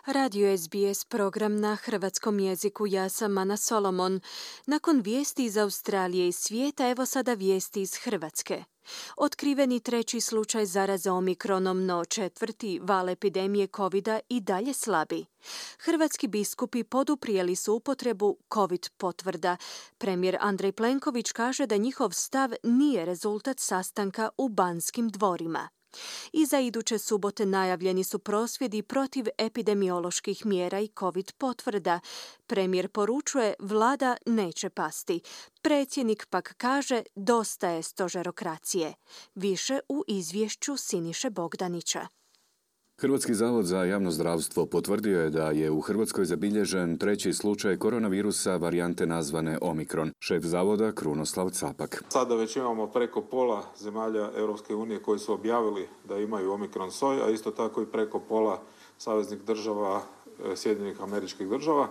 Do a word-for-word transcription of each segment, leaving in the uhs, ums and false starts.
Radio S B S program na hrvatskom jeziku. Ja sam Ana Solomon. Nakon vijesti iz Australije i svijeta, evo sada vijesti iz Hrvatske. Otkriveni treći slučaj zaraze omikronom, no četvrti val epidemije covida i dalje slabi. Hrvatski biskupi poduprijeli su upotrebu covid potvrda. Premijer Andrej Plenković kaže da njihov stav nije rezultat sastanka u Banskim dvorima. I za iduće subote najavljeni su prosvjedi protiv epidemioloških mjera i covid potvrda. Premijer poručuje vlada neće pasti. Predsjednik pak kaže dosta je stožerokracije. Više u izvješću Siniše Bogdanića. Hrvatski zavod za javno zdravstvo potvrdio je da je u Hrvatskoj zabilježen treći slučaj koronavirusa varijante nazvane Omikron. Šef zavoda Krunoslav Capak. Sada već imamo preko pola zemalja Europske unije koji su objavili da imaju Omikron soj, a isto tako i preko pola saveznih država Sjedinjenih Američkih Država.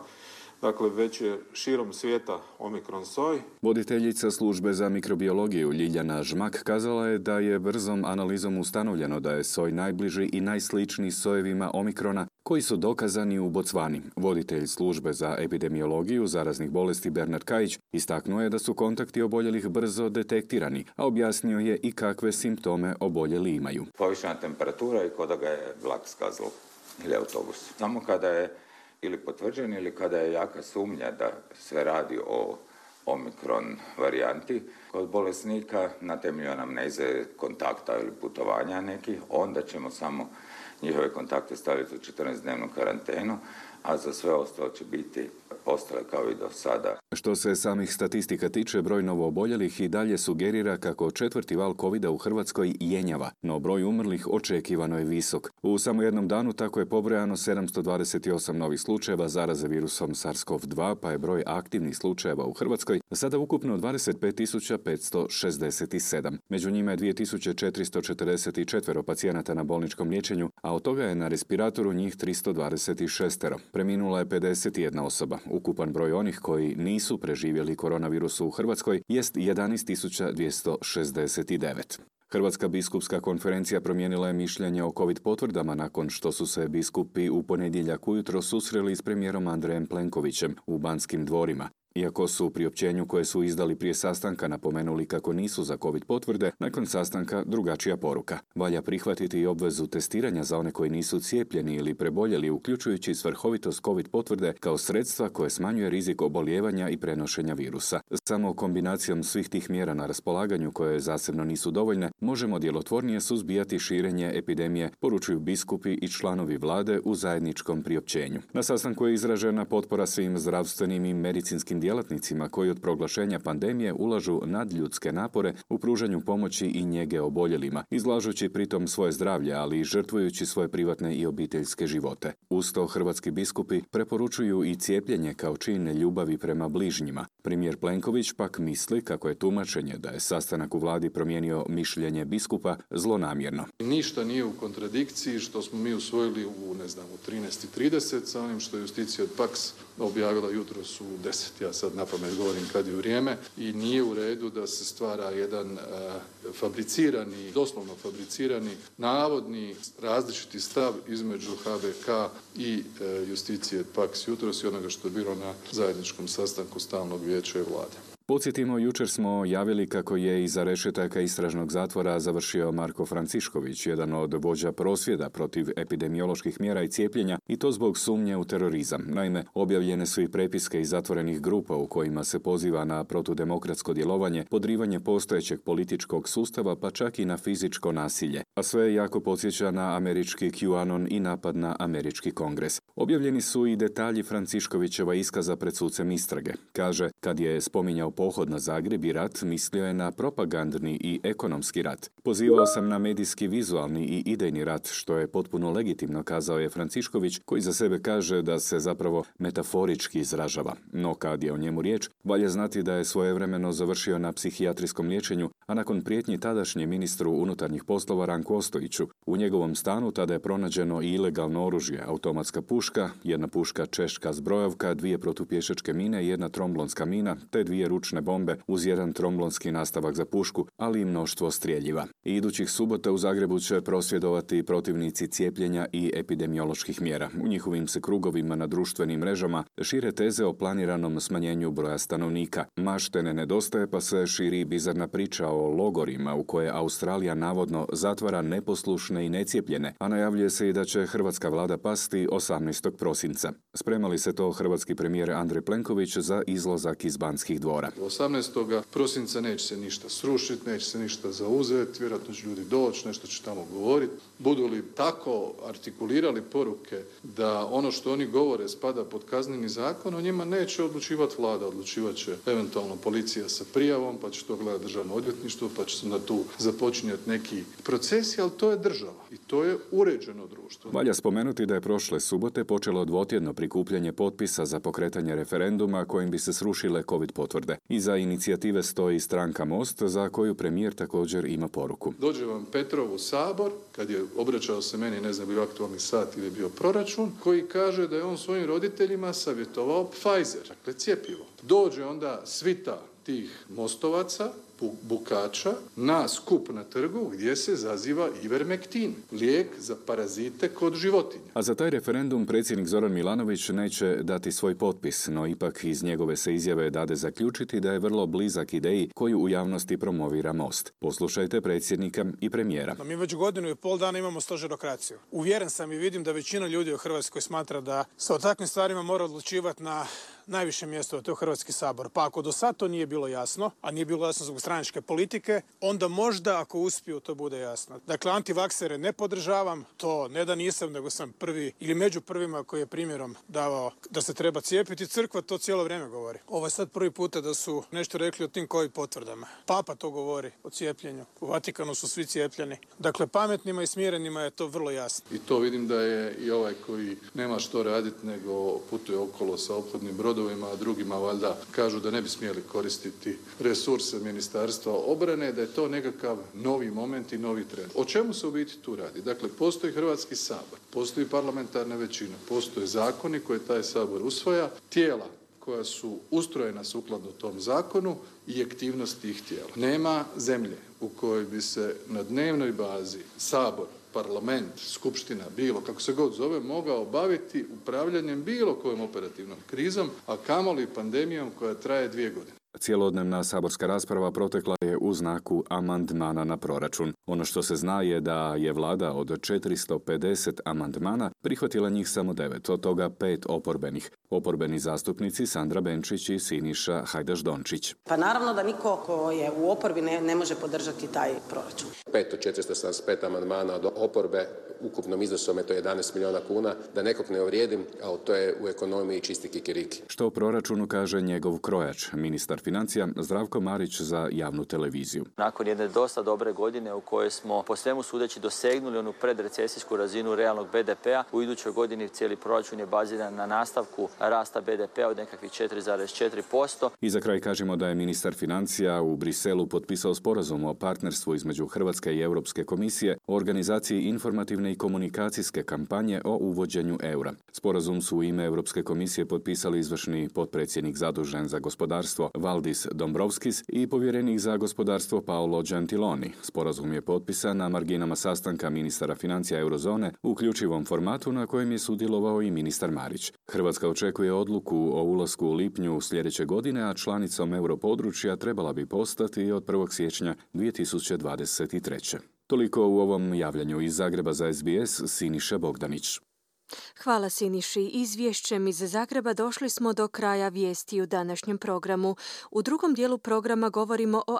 Dakle, već je širom svijeta Omikron soj. Voditeljica službe za mikrobiologiju Ljiljana Žmak kazala je da je brzom analizom ustanovljeno da je soj najbliži i najsličniji sojevima Omikrona koji su dokazani u Bocvani. Voditelj službe za epidemiologiju zaraznih bolesti Bernard Kajić istaknuo je da su kontakti oboljelih brzo detektirani, a objasnio je i kakve simptome oboljeli imaju. Povišena temperatura i kod da ga je vlak skazao ili autobus. Samo kada je ili potvrđen ili kada je jaka sumnja da se radi o Omikron varijanti kod bolesnika na temelju anamneze, kontakta ili putovanja nekih, onda ćemo samo njihove kontakte staviti u četrnaestdnevnu karantenu, a za sve ostalo će biti ostale kao i do sada. Što se samih statistika tiče, broj novooboljelih i dalje sugerira kako četvrti val covida u Hrvatskoj jenjava, no broj umrlih očekivano je visok. U samo jednom danu tako je pobrojano sedamsto dvadeset osam novih slučajeva zaraze virusom SARS-CoV dva, pa je broj aktivnih slučajeva u Hrvatskoj sada ukupno dvadeset pet tisuća petsto šezdeset sedam. Među njima je dvije tisuće četiristo četrdeset četiri pacijenata na bolničkom liječenju, a od toga je na respiratoru njih tristo dvadeset šest. Preminula je pedeset jedna osoba. Ukupan broj onih koji nisu preživjeli koronavirus u Hrvatskoj jest jedanaest tisuća dvjesto šezdeset devet. Hrvatska biskupska konferencija promijenila je mišljenje o covid potvrdama nakon što su se biskupi u ponedjeljak ujutro susreli s premijerom Andrejem Plenkovićem u Banskim dvorima. Iako su u priopćenju koje su izdali prije sastanka napomenuli kako nisu za covid potvrde, nakon sastanka drugačija poruka. Valja prihvatiti i obvezu testiranja za one koji nisu cijepljeni ili preboljeli, uključujući svrhovitost covid potvrde kao sredstva koje smanjuje rizik obolijevanja i prenošenja virusa. Samo kombinacijom svih tih mjera na raspolaganju, koje zasebno nisu dovoljne, možemo djelotvornije suzbijati širenje epidemije, poručuju biskupi i članovi vlade u zajedničkom priopćenju. Na sastanku je izražena potpora svim zdravstvenim i medicinskim djelatnicima koji od proglašenja pandemije ulažu nadljudske napore u pružanju pomoći i njege oboljelima, izlažući pritom svoje zdravlje, ali i žrtvujući svoje privatne i obiteljske živote. Uz to hrvatski biskupi preporučuju i cijepljenje kao čin ljubavi prema bližnjima. Premijer Plenković pak misli kako je tumačenje da je sastanak u vladi promijenio mišljenje biskupa zlonamjerno. Ništa nije u kontradikciji što smo mi usvojili u, ne znam, u trinaest i trideset sa onim što je Justicija od Pax objavila jutros u deset. Ja sad napamet govorim kad je vrijeme i nije u redu da se stvara jedan uh, fabricirani, doslovno fabricirani, navodni različiti stav između H B K i uh, Justicije Pax jutros i onoga što je bilo na zajedničkom sastanku stalnog vijeća i vlade. Podsjetimo, jučer smo javili kako je iza rešetaka istražnog zatvora završio Marko Francišković, jedan od vođa prosvjeda protiv epidemioloških mjera i cijepljenja, i to zbog sumnje u terorizam. Naime, objavljene su i prepiske iz zatvorenih grupa u kojima se poziva na protudemokratsko djelovanje, podrivanje postojećeg političkog sustava, pa čak i na fizičko nasilje. A sve jako podsjeća na američki QAnon i napad na američki kongres. Objavljeni su i detalji Franciškovićeva iskaza pred sucem istrage. Kaže, kad je spominjao pohod na Zagreb i rat, mislio je na propagandni i ekonomski rat. Pozivao sam na medijski, vizualni i idejni rat, što je potpuno legitimno, kazao je Francišković, koji za sebe kaže da se zapravo metaforički izražava. No kad je o njemu riječ, valja znati da je svojevremeno završio na psihijatrijskom liječenju, a nakon prijetnji tadašnjem ministru unutarnjih poslova Ranku Ostojiću. U njegovom stanu tada je pronađeno i ilegalno oružje, automatska puška puška, jedna puška češka zbrojovka, dvije protupješačke mine, jedna tromblonska mina, te dvije ručne bombe uz jedan tromblonski nastavak za pušku, ali i mnoštvo streljiva. I idućih subota u Zagrebu će prosvjedovati protivnici cijepljenja i epidemioloških mjera. U njihovim se krugovima na društvenim mrežama šire teze o planiranom smanjenju broja stanovnika. Mašte ne nedostaje, pa se širi bizarna priča o logorima u koje Australija navodno zatvara neposlušne i necijepljene, a najavljuje se i da će hrvatska vlada pasti osamnaestog prosinca. Sprema li se to hrvatski premijer Andrej Plenković za izlazak iz Banskih dvora? osamnaestog prosinca neće se ništa srušiti, neće se ništa zauzeti, vjerojatno će ljudi doći, nešto će tamo govoriti. Budu li tako artikulirali poruke da ono što oni govore spada pod kazneni zakon, o njima neće odlučivati vlada, odlučivat će eventualno policija sa prijavom, pa će to gledati državno odvjetništvo, pa će se na tu započinjati neki procesi, ali to je država i to je uređeno društvo. Valja spomenuti da je prošle subote počelo dvotjedno prikupljanje potpisa za pokretanje referenduma kojim bi se srušile covid potvrde. Iza inicijative stoji stranka Most, za koju premijer također ima poruku. Dođe vam Petrov u Sabor, kad je obraćao se meni, ne znam, bio aktualni sat ili bio proračun, koji kaže da je on svojim roditeljima savjetovao Pfizer, dakle cjepivo. Dođe onda svita tih mostovaca, bukača, na skup na trgu gdje se zaziva Ivermektin, lijek za parazite kod životinja. A za taj referendum predsjednik Zoran Milanović neće dati svoj potpis, no ipak iz njegove se izjave dade zaključiti da je vrlo blizak ideji koju u javnosti promovira Most. Poslušajte predsjednika i premijera. Mi već godinu i pol dana imamo stožerokraciju. Uvjeren sam i vidim da većina ljudi u Hrvatskoj smatra da se o takvim stvarima mora odlučivati na najviše mjesto, to je Hrvatski sabor. Pa ako do sad to nije bilo jasno, a nije bilo jasno zbog stranačke politike, onda možda ako uspiju to bude jasno. Dakle, antivaksere ne podržavam, to ne da nisam, nego sam prvi ili među prvima koji je primjerom davao da se treba cijepiti. Crkva to cijelo vrijeme govori. Ovo je sad prvi puta da su nešto rekli o tim covid potvrdama. Papa to govori o cijepljenju. U Vatikanu su svi cijepljeni. Dakle, pametnima i smirenima je to vrlo jasno. I to vidim da je i ovaj koji nema što raditi nego putuje okolo sa ophodnim brodovima, a drugima valjda kažu da ne bi smjeli koristiti resurse Ministarstva obrane, da je to nekakav novi moment i novi trend. O čemu se u biti tu radi? Dakle, postoji Hrvatski sabor, postoji parlamentarna većina, postoje zakoni koje taj sabor usvaja, tijela koja su ustrojena sukladno tom zakonu i aktivnosti tih tijela. Nema zemlje u kojoj bi se na dnevnoj bazi sabor, parlament, skupština, bilo kako se god zove, mogao baviti upravljanjem bilo kojom operativnom krizom, a kamoli pandemijom koja traje dvije godine. Cijelodnevna saborska rasprava protekla je u znaku amandmana na proračun. Ono što se zna je da je vlada od četiristo pedeset amandmana prihvatila njih samo devet, od toga pet oporbenih. Oporbeni zastupnici Sandra Benčić i Siniša Hajdaš-Dončić. Pa naravno da niko ko je u oporbi ne, ne može podržati taj proračun. Pet od četiristo sedamdeset pet amandmana od oporbe, ukupnom iznosom je to jedanaest milijuna kuna. Da nekog ne uvrijedim, ali to je u ekonomiji čisti kikiriki. Što o proračunu kaže njegov krojač, ministar financija Zdravko Marić za javnu televiziju. Nakon jedne dosta dobre godine u kojoj smo po svemu sudeći dosegnuli onu predrecesijsku razinu realnog be de pea, u idućoj godini cijeli proračun je baziran na nastavku rasta be de pea od nekakvih četiri zarez četiri posto. I za kraj kažemo da je ministar financija u Briselu potpisao sporazum o partnerstvu između Hrvatske i Europske komisije o organizaciji informativne i komunikacijske kampanje o uvođenju eura. Sporazum su u ime Europske komisije potpisali izvršni potpredsjednik zadužen za gospodarstvo Valdis Dombrovskis i povjerenik za gospodarstvo Paolo Gentiloni. Sporazum je potpisan na marginama sastanka ministara financija eurozone u uključivom formatu na kojem je sudjelovao i ministar Marić. Hrvatska očekuje odluku o ulasku u lipnju sljedeće godine, a članicom europodručja trebala bi postati od prvog siječnja dvije tisuće dvadeset treće. Toliko u ovom javljanju iz Zagreba za es be es, Siniša Bogdanić. Hvala Siniši. Izvješćem iz Zagreba došli smo do kraja vijesti u današnjem programu. U drugom dijelu programa govorimo o